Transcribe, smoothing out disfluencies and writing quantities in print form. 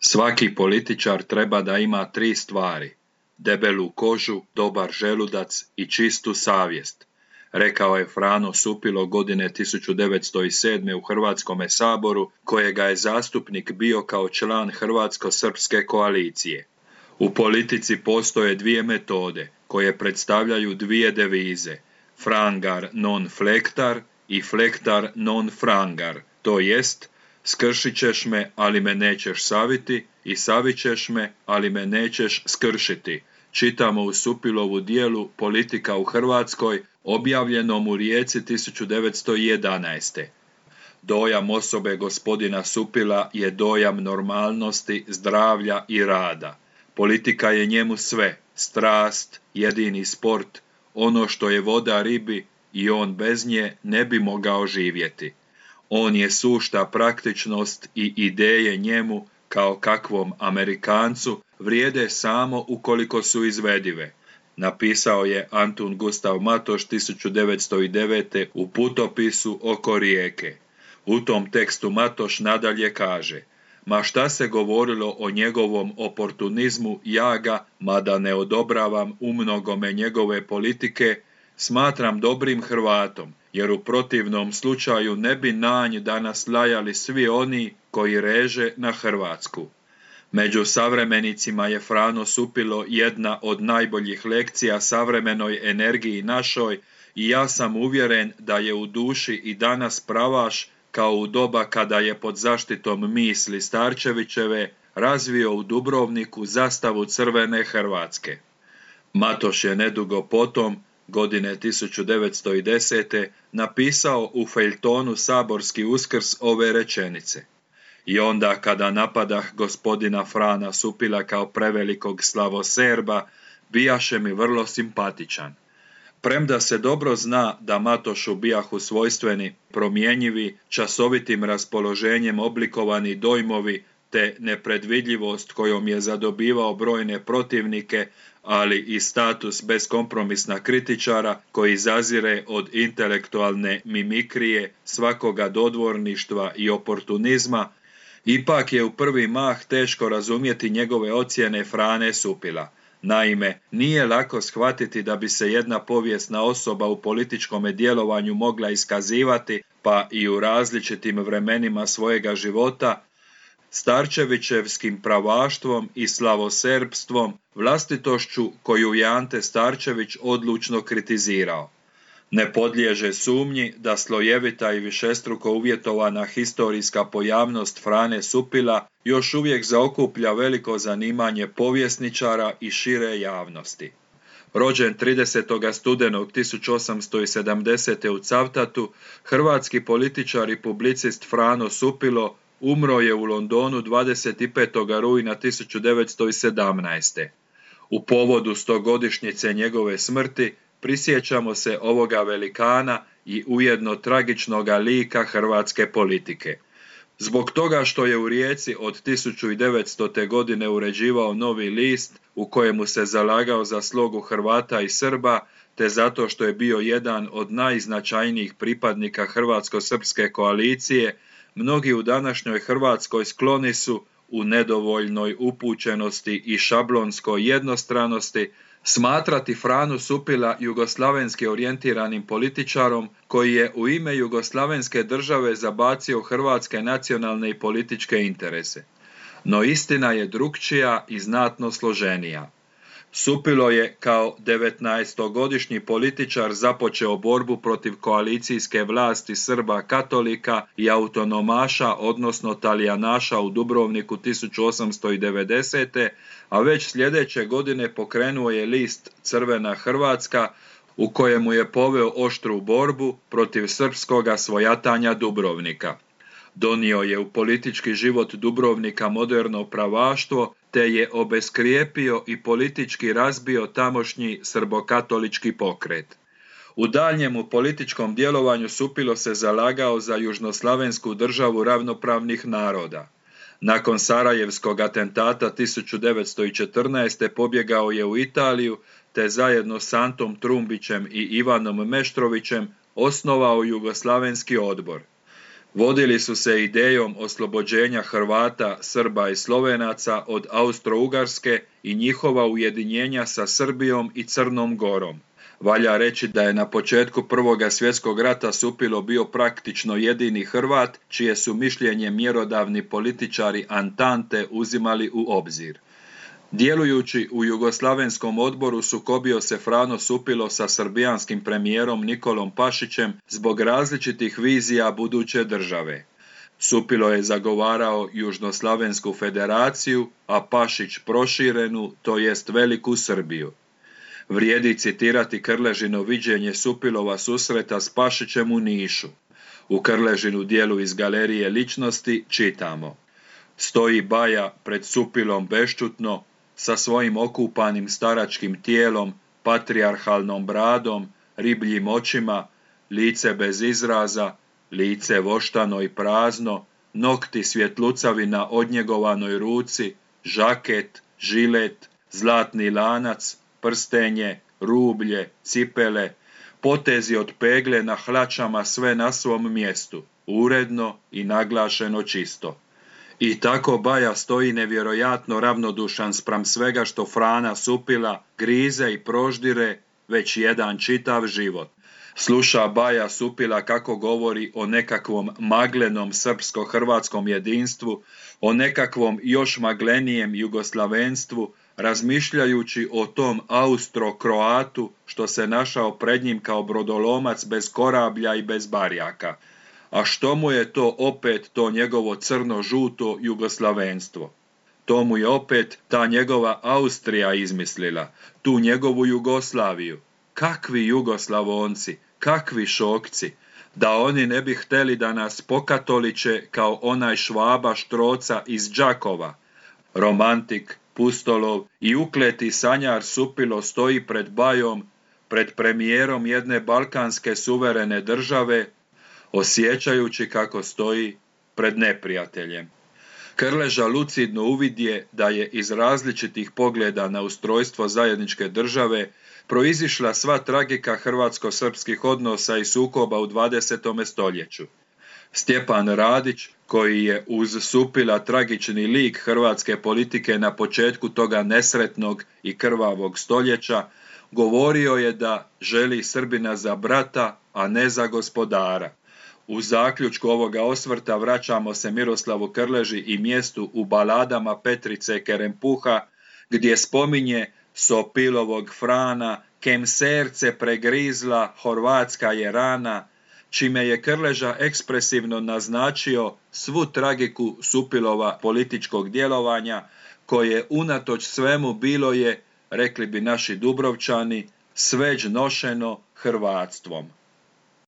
Svaki političar treba da ima 3 stvari: debelu kožu, dobar želudac i čistu savjest, rekao je Frano Supilo godine 1907. u Hrvatskome saboru, kojega je zastupnik bio kao član Hrvatsko-srpske koalicije. U politici postoje 2 metode koje predstavljaju 2 devize: frangar non flectar i flectar non frangar, to jest skršit ćeš me, ali me nećeš saviti, i savit ćeš me, ali me nećeš skršiti, čitamo u Supilovu dijelu Politika u Hrvatskoj, objavljenom u Rijeci 1911. Dojam osobe gospodina Supila je dojam normalnosti, zdravlja i rada. Politika je njemu sve, strast, jedini sport, ono što je voda ribi, i on bez nje ne bi mogao živjeti. On je sušta praktičnost i ideje njemu, kao kakvom Amerikancu, vrijede samo ukoliko su izvedive, napisao je Antun Gustav Matoš 1909. u putopisu oko Rijeke. U tom tekstu Matoš nadalje kaže: ma šta se govorilo o njegovom oportunizmu, ja ga, mada ne odobravam umnogome njegove politike, smatram dobrim Hrvatom, jer u protivnom slučaju ne bi na nj danas lajali svi oni koji reže na Hrvatsku. Među savremenicima je Frano Supilo jedna od najboljih lekcija savremenoj energiji našoj, i ja sam uvjeren da je u duši i danas pravaš, kao u doba kada je pod zaštitom misli Starčevićeve razvio u Dubrovniku zastavu crvene Hrvatske. Matoš je nedugo potom, godine 1910. napisao u feljtonu Saborski uskrs ove rečenice: i onda kada napadah gospodina Frana Supila kao prevelikog slavoserba, bijaše mi vrlo simpatičan. Premda se dobro zna da Matošu bijahu svojstveni, promjenjivi, časovitim raspoloženjem oblikovani dojmovi te nepredvidljivost kojom je zadobivao brojne protivnike, ali i status beskompromisna kritičara koji zazire od intelektualne mimikrije, svakoga dodvorništva i oportunizma, ipak je u prvi mah teško razumjeti njegove ocjene Frane Supila. Naime, nije lako shvatiti da bi se jedna povijesna osoba u političkome djelovanju mogla iskazivati, pa i u različitim vremenima svojega života, starčevićevskim pravaštvom i slavoserbstvom, vlastitošću koju je Ante Starčević odlučno kritizirao. Ne podliježe sumnji da slojevita i višestruko uvjetovana historijska pojavnost Frane Supila još uvijek zaokuplja veliko zanimanje povjesničara i šire javnosti. Rođen 30. studenog 1870. u Cavtatu, hrvatski političar i publicist Frano Supilo umro je u Londonu 25. rujna 1917. U povodu 100-godišnjice njegove smrti prisjećamo se ovoga velikana i ujedno tragičnoga lika hrvatske politike. Zbog toga što je u Rijeci od 1900. godine uređivao Novi list u kojemu se zalagao za slogu Hrvata i Srba, te zato što je bio jedan od najznačajnijih pripadnika Hrvatsko-srpske koalicije, mnogi u današnjoj Hrvatskoj skloni su, u nedovoljnoj upućenosti i šablonskoj jednostranosti, smatrati Franu Supila jugoslavenski orijentiranim političarom koji je u ime jugoslavenske države zabacio hrvatske nacionalne i političke interese. No istina je drukčija i znatno složenija. Supilo je kao 19-godišnji političar započeo borbu protiv koalicijske vlasti Srba katolika i autonomaša, odnosno talijanaša u Dubrovniku 1890. a već sljedeće godine pokrenuo je list Crvena Hrvatska, u kojemu je poveo oštru borbu protiv srpskoga svojatanja Dubrovnika. Donio je u politički život Dubrovnika moderno pravaštvo, te je obeskrijepio i politički razbio tamošnji srbokatolički pokret. U daljnjemu političkom djelovanju Supilo se zalagao za južnoslavensku državu ravnopravnih naroda. Nakon Sarajevskog atentata 1914. pobjegao je u Italiju, te zajedno s Antom Trumbićem i Ivanom Meštrovićem osnovao Jugoslavenski odbor. Vodili su se idejom oslobođenja Hrvata, Srba i Slovenaca od Austro-Ugarske i njihova ujedinjenja sa Srbijom i Crnom Gorom. Valja reći da je na početku Prvoga svjetskog rata Supilo bio praktično jedini Hrvat, čije su mišljenje mjerodavni političari Antante uzimali u obzir. Djelujući u Jugoslavenskom odboru sukobio se Frano Supilo sa srbijanskim premijerom Nikolom Pašićem zbog različitih vizija buduće države. Supilo je zagovarao Južnoslavensku federaciju, a Pašić proširenu, to jest Veliku Srbiju. Vrijedi citirati Krležino viđenje Supilova susreta s Pašićem u Nišu. U Krležinu dijelu iz Galerije ličnosti čitamo: stoji Baja pred Supilom bešćutno, sa svojim okupanim staračkim tijelom, patrijarhalnom bradom, ribljim očima, lice bez izraza, lice voštano i prazno, nokti svjetlucavi na odnjegovanoj ruci, žaket, žilet, zlatni lanac, prstenje, rublje, cipele, potezi od pegle na hlačama, sve na svom mjestu, uredno i naglašeno čisto. I tako Baja stoji nevjerojatno ravnodušan spram svega što Frana Supila grize i proždire već jedan čitav život. Sluša Baja Supila kako govori o nekakvom maglenom srpsko-hrvatskom jedinstvu, o nekakvom još maglenijem jugoslavenstvu, razmišljajući o tom Austro-Kroatu što se našao pred njim kao brodolomac bez korablja i bez barjaka. A što mu je to opet to njegovo crno-žuto jugoslavenstvo? To mu je opet ta njegova Austrija izmislila, tu njegovu Jugoslaviju. Kakvi Jugoslavonci, kakvi šokci, da oni ne bi htjeli da nas pokatoliče kao onaj Švaba Štroca iz Đakova. Romantik, pustolov i ukleti sanjar Supilo stoji pred Bajom, pred premijerom jedne balkanske suverene države, osjećajući kako stoji pred neprijateljem. Krleža lucidno uvidje da je iz različitih pogleda na ustrojstvo zajedničke države proizišla sva tragika hrvatsko-srpskih odnosa i sukoba u 20. stoljeću. Stjepan Radić, koji je uz Supila tragični lik hrvatske politike na početku toga nesretnog i krvavog stoljeća, govorio je da želi Srbina za brata, a ne za gospodara. U zaključku ovoga osvrta vraćamo se Miroslavu Krleži i mjestu u baladama Petrice Kerempuha, gdje spominje Sopilovog Frana, kem serce pregrizla, horvatska je rana, čime je Krleža ekspresivno naznačio svu tragiku Supilova političkog djelovanja, koje unatoč svemu bilo je, rekli bi naši Dubrovčani, sveđ nošeno hrvatstvom.